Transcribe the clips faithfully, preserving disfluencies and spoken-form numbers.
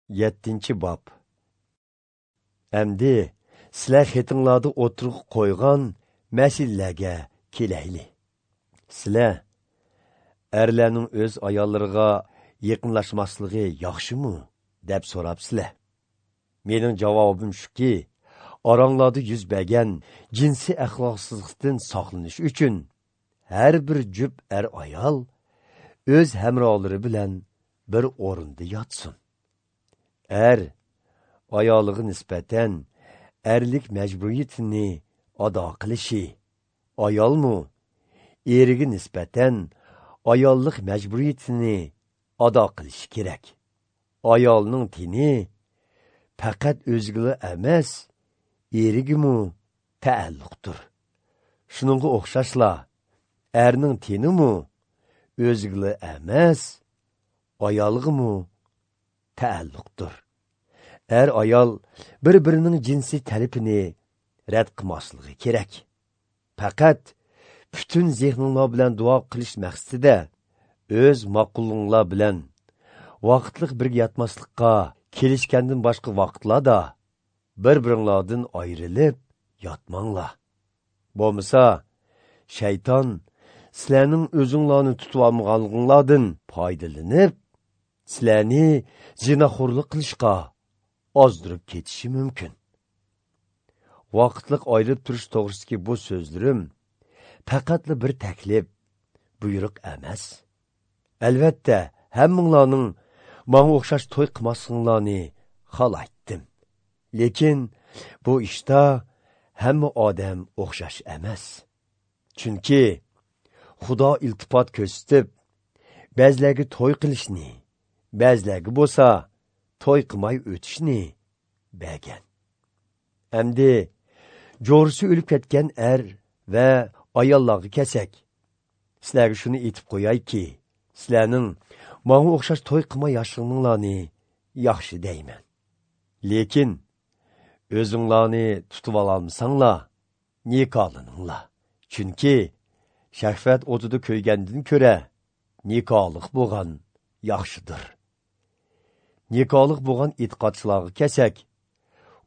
Yettinchi bob. Әмді sizlar xetinglarda o'tirib qo'ygan masalalarga kelayli. Sizlar erlarning o'z ayollariga yaqinlashmasligi yaxshimi deb so'rabsizlar. Mening javobim shuki, oranglarda yuz bergan jinsiy axloqsizlikdan saqlanish uchun har bir jup er ayol o'z hamrohlari bilan bir o'rinda yotsin. Er ayoliga nisbatan erlik majburiyatini ado qilishi, ayolmu eriga nisbatan ayollik majburiyatini ado qilishi kerak. Ayolning tini faqat o'ziga emas, erigimu taalluqdir. Shuningga o'xshashla, erning tinimu o'ziga emas, ayolg'imu taalluqdir. Er ayol bir-birining jinsiy talabini rad qilmasligi kerak. Faqat butun zehninglar bilan duo qilish maqsadida o'z ma'qullinglar bilan vaqtliq birga yotmaslikqa kelishgandan boshqa vaqtlarda bir-biringlardan ayrilib yotmanglar. Bo'lmasa, shayton sizlarning o'zinglarni tutib olmaganliginglardan foydalanib, sizlarni zinaxo'rlik qilishga ozdirib ketishi mumkin. Vaqtliq ayrilib turish to'g'risidagi bu so'zlarim faqatla bir taklif, buyruq emas. Albatta, hammanglarning menga o'xshash to'y qilmasliginglarni xohlaydim. Lekin bu ishda hamma odam o'xshash emas. Chunki Xudo iltifot ko'rsatib, ba'zilarga to'y qilishni, ba'zilarga bo'lsa to'y qilmay o'tishni bergan. Endi jo'risi o'lib ketgan er va ayollarga kelsak, sizlarga shuni aytib qo'yayki, sizlarning menga o'xshash to'y qilmay yashag'inglarni yaxshi deyman. Lekin o'zinglarni tutib ololmasanglar, nikohlaninglar. Chunki shahvat o'tida ko'ygandan ko'ra nikohliq bo'lgan yaxshidir. Nikohliq bo'lgan e'tiqodchilarga kelsak,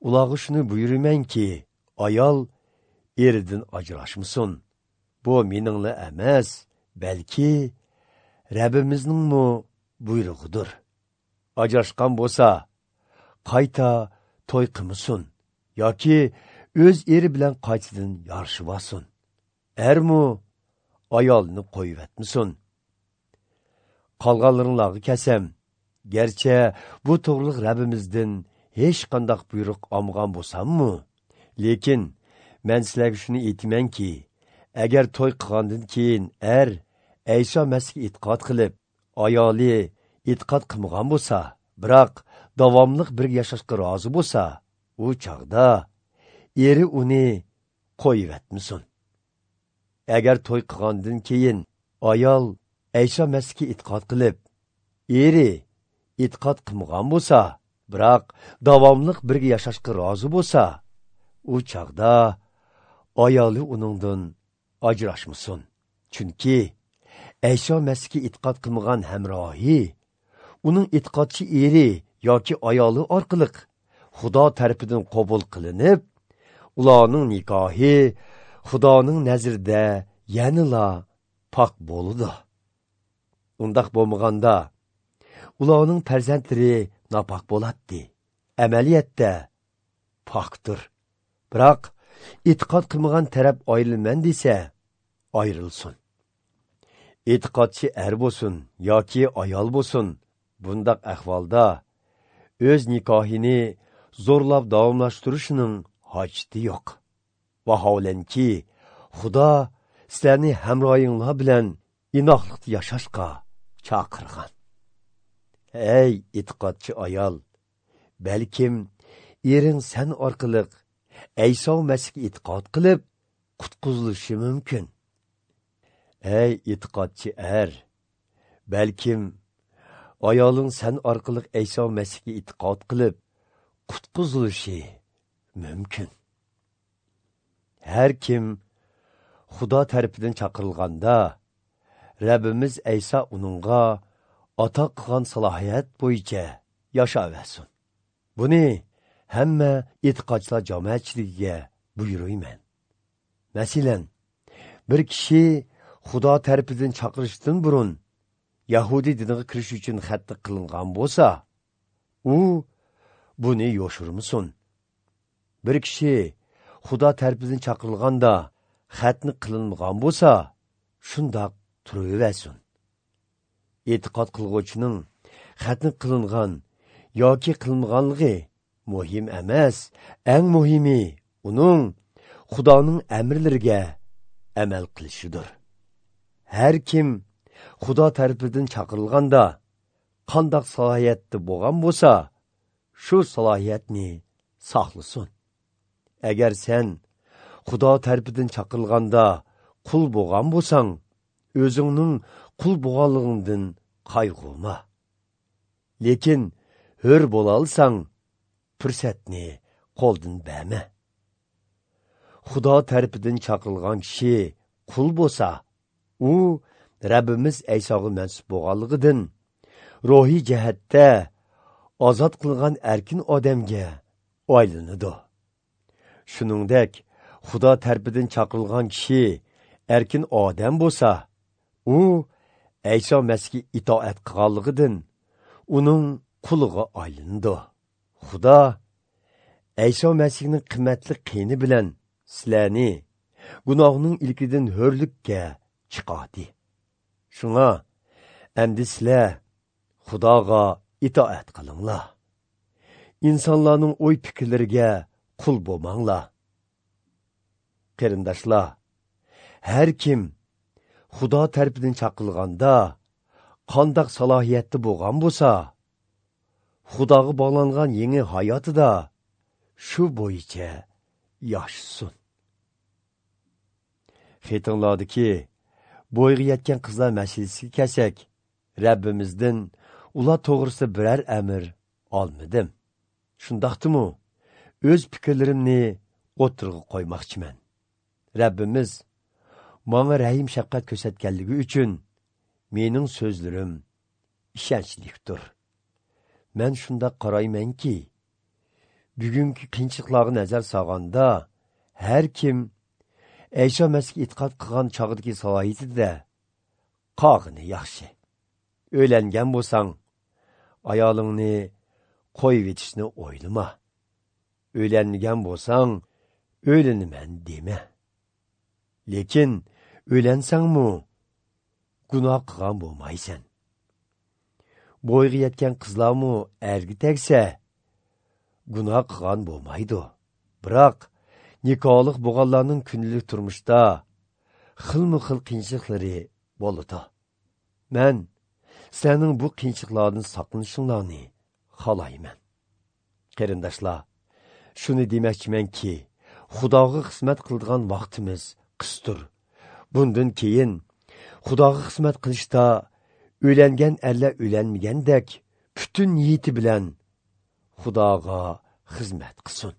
ularga shuni buyurmanki, ayol eridan ajrashmasin. Bu meningla emas, balki Rabbimizning buyrug'idir. Ajrashgan bo'lsa, qayta to'y qilmasin yoki o'z eri bilan qaytadan yarashib olsin. Ermu ayolini qo'yib etmasin. Qolganlaringlarga kelsam, garchi bu to'g'riliq Rabbimizdan hech qanday buyruq olmagan bo'lsammi, lekin men sizlarga shuni aytamanki, agar to'y qilgandan keyin er Ayso Masihga e'tiqod qilib, ayoli e'tiqod qilmagan bo'lsa, biroq davomliq birga yashashga rozi bo'lsa, u chog'da eri uni qo'yib etmasin. Agar to'y qilgandan keyin ayol Ayso Masihga e'tiqod qilib, eri e'tiqod qilmagan bo'lsa, biroq davomliq birga yashashga rozi bo'lsa, u chog'da ayoli uningdan ajrashmasin. Chunki Ayso Masihga e'tiqod qilmagan hamrohi uning e'tiqodchi eri yoki ayoli orqali Xudo tarafidan qabul qilinib, ularning nikohi Xudoning nazarida yanala pok bo'ladi. Undaq bo'lmaganda ularning farzandlari nopok bo'ladi. Amaliyotda pokdir. Biroq e'tiqod qilmagan taraf ayrilman desa, ayrilsin. E'tiqodchi er bo'lsin yoki ayol bo'lsin, bundaq ahvolda o'z nikohini zo'rlab davomlashtirishning hojati yo'q. Vaholanki, Xudo sizlarni hamroyinglar bilan inoqlikda yashashga chaqirgan. Ey e'tiqodchi ayol, balkim ering sen orqali Ayso Masihga e'tiqod qilib qutqizilishi mumkin. Ey e'tiqodchi er, balkim ayoling sen orqali Ayso Masihga e'tiqod qilib qutqizilishi mumkin. Har kim Xudo tarafidan chaqirilganda, Rabbimiz Ayso uningga ato qilgan salohiyat bo'yicha yashaversin. Buni hamma e'tiqodchilar jamoatchiligiga buyuruyman. Masalan, bir kishi Xudo tarafidan chaqirishdan burun Yahudi diniga kirish uchun xatni qilingan bo'lsa, u buni yoshirmasin. Bir kishi Xudo tarafidan chaqirilganda xatni qilinmagan bo'lsa, shundoq turaversin. E'tiqod qilg'uvchining xatni qilingan yoki qilinmaganligi muhim emas, eng muhimi uning Xudoning amrlariga amal qilishidir. Har kim Xudo tarafidan chaqirilganda qandoq salohiyatda bo'lgan bo'lsa, shu salohiyatni saqlasin. Agar sen Xudo tarafidan chaqirilganda qul bo'lgan bo'lsang, o'zingning qul bo'lganligingdan qayg'urma. Lekin hur bo'la olsang, fursatni qo'ldan berma. Xudo tarafidan chaqirilgan kishi qul bo'lsa, u Rabbimiz Aysoga mansub bo'lganligidan ruhiy jihatda ozod qilingan erkin odamga aylanadi. Shuningdek, Xudo tarafidan chaqirilgan kishi erkin odam bo'lsa, u Ayso Masihga itoat qilganligidan uning quliga aylanadi. Xudo Ayso Masihning qimmatli qini bilan sizlarni gunohning ilkidan hurlikka chiqardi. Shunga endi sizlar Xudoga itoat qilinglar. Insonlarning o'y fikrlariga qul bo'lmanglar. Qarindoshlar, har kim Xudo tarafidan chaqirilganda qandoq salohiyatda bo'lgan bo'lsa, Xudoga bog'langan yangi hayotida shu bo'yicha yashasin. Xetinglardagi bo'yga yetgan qizlar masalasiga kelsak, Rabbimizdan ular to'g'risida biror amr olmadim. Shundaqdimi, o'z fikrlarimni o'tirg'a qo'ymoqchiman. Rabbimiz manga rahim shafqat ko'rsatganligi uchun mening so'zlarim ishonchlikdir. Men shundoq qaraymanki, bugungi qiyinchiliklarga nazar solganda har kim Ayso Masihga e'tiqod qilgan chog'idagi salohiyatida qog'ini yaxshi. O'ylangan bo'lsang, ayolingni qo'yib etishni o'ylama. O'ylanmagan bo'lsang, o'ylanaman dema. Lekin o'ylansangmi, gunoh qilgan bo'lmaysan. Bo'yga yetgan qizlarmi erga tegsa, gunoh qilgan bo'lmaydi. Biroq nikohli bo'lganlarning kundalik turmushda xilma-xil qiyinchiliklari bo'ladi. Men sizlarning bu qiyinchiliklardan saqlanishinglarni xohlayman. Qarindoshlar, shuni demoqchimanki, Xudoga xizmat qiladigan vaqtimiz qisdir. Bundan keyin Xudoga xizmat qilishda o'ylangan erlar o'ylanmagandek butun niyati bilan Xudoga xizmat qilsin.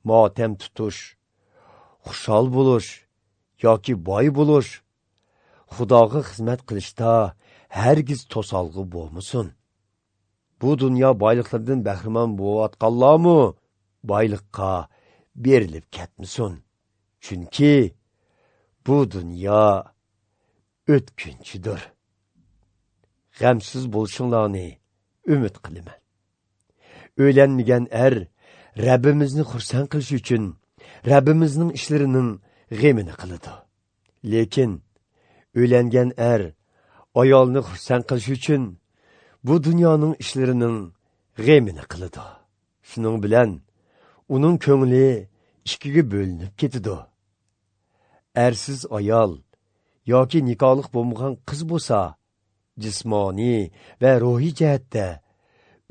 Motam tutish, xushal bo'lish yoki boy bo'lish Xudoga xizmat qilishda hargiz to'salg'i bo'lmasin. Bu dunyo boyliqlaridan bahramand bo'layotganlarmi boyliqqa berilib ketmasin. Chunki bu dunyo o'tkinchidir. G'amsiz bo'lishinglarni umid qilaman. O'ylanmagan er Rabbimizni xursand qilish uchun Rabbimizning ishlarining g'emini qiladi. Lekin o'ylangan er ayolni xursand qilish uchun bu dunyoning ishlarining g'emini qiladi. Shuning bilan uning ko'ngli ikkiga bo'linib ketadi. Ersiz ayol yoki nikohli bo'lmagan qiz bo'lsa, jismoniy va ruhiy jihatda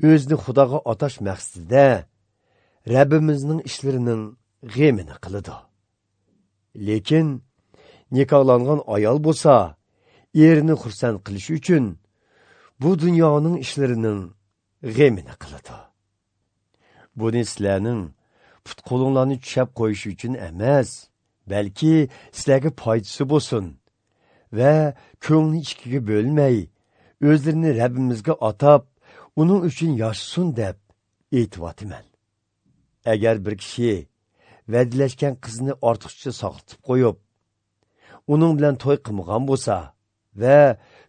o'zini Xudoga atash maqsadida Rabbimizning ishlarining g'emini qiladi. Lekin nikohlangan ayol bo'lsa, erini xursand qilish uchun bu dunyoning ishlarining g'emini qiladi. Buni sizlarning put qo'linglarni tushab qo'yish uchun emas, balki sizlarga foydasi bo'lsin va ko'ngli ikkiga bo'lmay, o'zlarini Rabbimizga atab, uning uchun yashasin deb aytyapman. Agar bir kishi va'dalashgan qizni ortiqcha saqlatib qo'yib, uning bilan to'y qilmagan bo'lsa va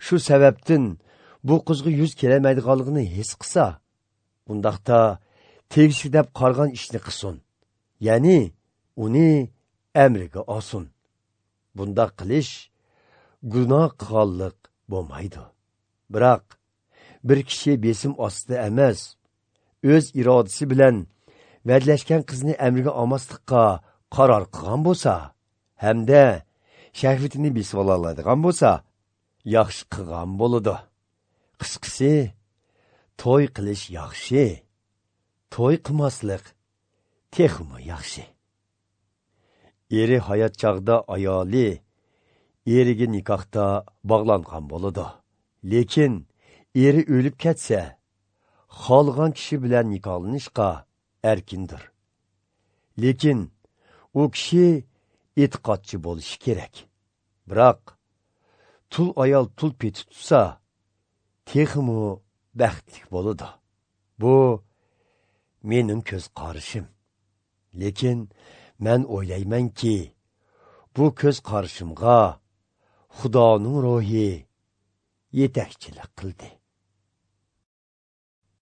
shu sababdan bu qizga yuz kelmaydiganligini his qilsa, undaqda tegishli deb qargan ishni qilsin, ya'ni uni amriga olsin. Bundaq qilish gunoh qilganlik bo'lmaydi. Biroq bir kishi besim ostida emas, o'z irodasi bilan va'dalashgan qizni amriga olmaslikqa qaror qilgan bo'lsa, hamda shahvatini besib oladigan bo'lsa, yaxshi qilgan bo'ladi. Qisqasi, to'y qilish yaxshi, to'y qilmaslik texmi yaxshi. Eri hayot chog'ida ayoli eriga nikohda bog'langan bo'ladi. Lekin eri o'lib ketsa, xohlagan kishi bilan nikohlanishga erkindir. Lekin u kishi e'tiqodchi bo'lishi kerak. Biroq tul ayol tul peti tutsa, texmi baxtli bo'ladi. Bu mening ko'z qarashim. Lekin men o'ylaymanki, bu ko'z qarashimga Xudoning ruhi yetakchilik qildi.